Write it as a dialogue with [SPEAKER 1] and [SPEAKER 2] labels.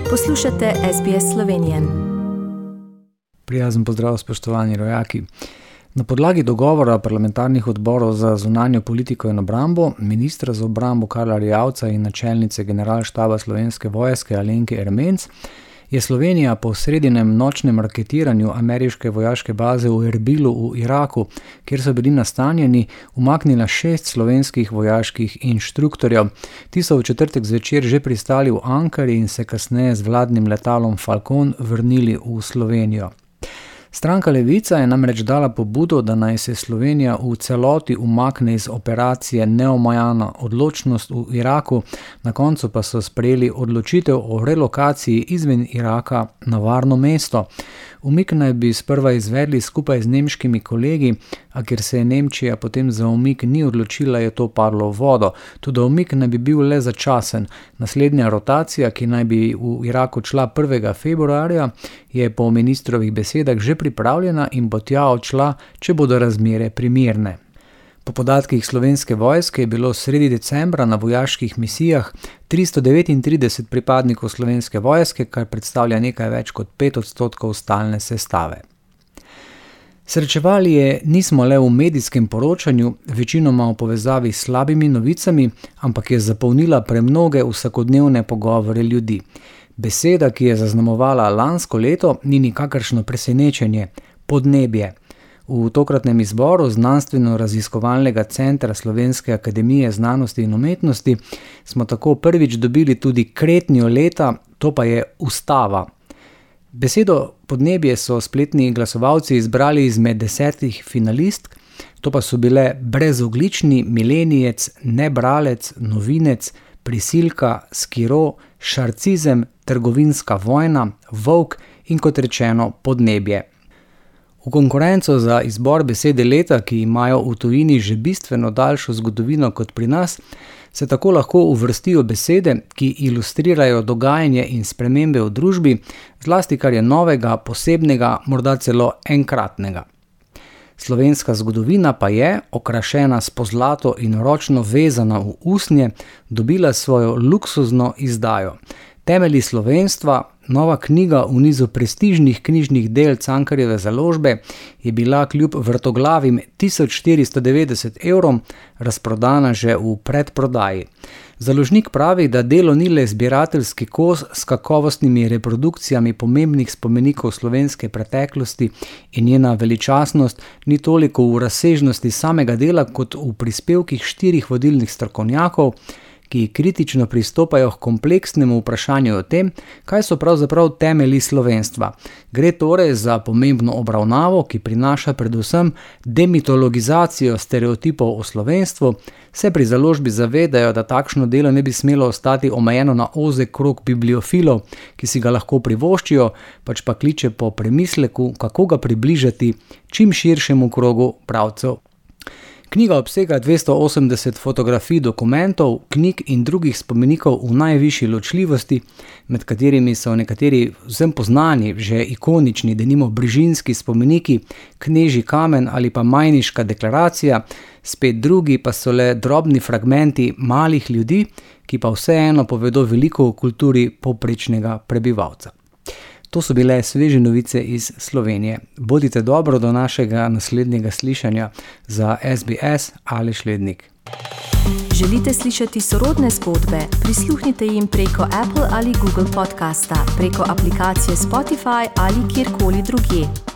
[SPEAKER 1] Poslušate SBS Slovenije.
[SPEAKER 2] Prijazen pozdrav, spoštovani rojaki. Na podlagi dogovora parlamentarnih odborov za zunanjo politiko in obrambo, ministra za obrambo Karla Erjavca in načelnice generalštaba Slovenske vojske Alenke Ermenc, je Slovenija po sredinem nočnem raketiranju ameriške vojaške baze v Erbilu v Iraku, kjer so bili nastanjeni, umaknila 6 slovenskih vojaških inštruktorjev. Ti so v četrtek zvečer že pristali v Ankari in se kasneje z vladnim letalom Falcon vrnili v Slovenijo. Stranka Levica je namreč dala pobudo, da naj se Slovenija v celoti umakne iz operacije Neomajana odločnost v Iraku, na koncu pa so sprejeli odločitev o relokaciji izven Iraka na varno mesto. Umik naj bi sprva izvedli skupaj z nemškimi kolegi, a ker se je Nemčija potem za umik ni odločila, je to padlo v vodo. Tudi umik naj bi bil le začasen. Naslednja rotacija, ki naj bi v Iraku šla 1. februarja, je po ministrovih besedah že pripravljena in bo tja odšla, če bodo razmere primerne. Po podatkih Slovenske vojske je bilo sredi decembra na vojaških misijah 339 pripadnikov Slovenske vojske, kar predstavlja nekaj več kot 5% stalne sestave. Srečevali je nismo le v medijskem poročanju, večinoma v povezavi s slabimi novicami, ampak je zapolnila premnoge vsakodnevne pogovore ljudi. Beseda, ki je zaznamovala lansko leto, ni nikakršno presenečenje – podnebje. V tokratnem izboru Znanstveno-raziskovalnega centra Slovenske akademije znanosti in umetnosti smo tako prvič dobili tudi kretnjo leta, to pa je ustava. Besedo podnebje so spletni glasovalci izbrali izmed 10 finalistk, to pa so bile brezoglični, milenijec, nebralec, novinec, prisilka, skiro, šarcizem, trgovinska vojna, volk in kot rečeno podnebje. V konkurenco za izbor besede leta, ki imajo v tujini že bistveno daljšo zgodovino kot pri nas, se tako lahko uvrstijo besede, ki ilustrirajo dogajanje in spremembe v družbi, zlasti kar je novega, posebnega, morda celo enkratnega. Slovenska zgodovina pa je, okrašena s pozlato in ročno vezana v usnje, dobila svojo luksuzno izdajo. Temelji slovenstva, nova knjiga v nizu prestižnih knjižnih del Cankarjeve založbe, je bila kljub vrtoglavim 1490 evrom razprodana že v predprodaji. Založnik pravi, da delo ni le zbirateljski kos s kakovostnimi reprodukcijami pomembnih spomenikov slovenske preteklosti in njena veličastnost ni toliko v razsežnosti samega dela kot v prispevkih 4 vodilnih strokovnjakov, ki kritično pristopajo k kompleksnemu vprašanju o tem, kaj so pravzaprav temelji slovenstva. Gre torej za pomembno obravnavo, ki prinaša predvsem demitologizacijo stereotipov o slovenstvu, se pri založbi zavedajo, da takšno delo ne bi smelo ostati omejeno na ozek krog bibliofilov, ki si ga lahko privoščijo, pač pa kliče po premisleku, kako ga približati čim širšemu krogu bralcev. Knjiga obsega 280 fotografij dokumentov, knjig in drugih spomenikov v najvišji ločljivosti, med katerimi so nekateri vsem poznani, že ikonični, denimo Brižinski spomeniki, Knežji kamen ali pa Majniška deklaracija, spet drugi pa so le drobni fragmenti malih ljudi, ki pa vseeno povedo veliko o kulturi povprečnega prebivalca. To so bile sveže novice iz Slovenije. Bodite dobro do našega naslednjega slišanja. Za SBS Aleš Lednik.
[SPEAKER 1] Želite slišati sorodne zgodbe? Prisluhnite jim preko Apple ali Google podcasta, preko aplikacije Spotify ali kjerkoli drugje.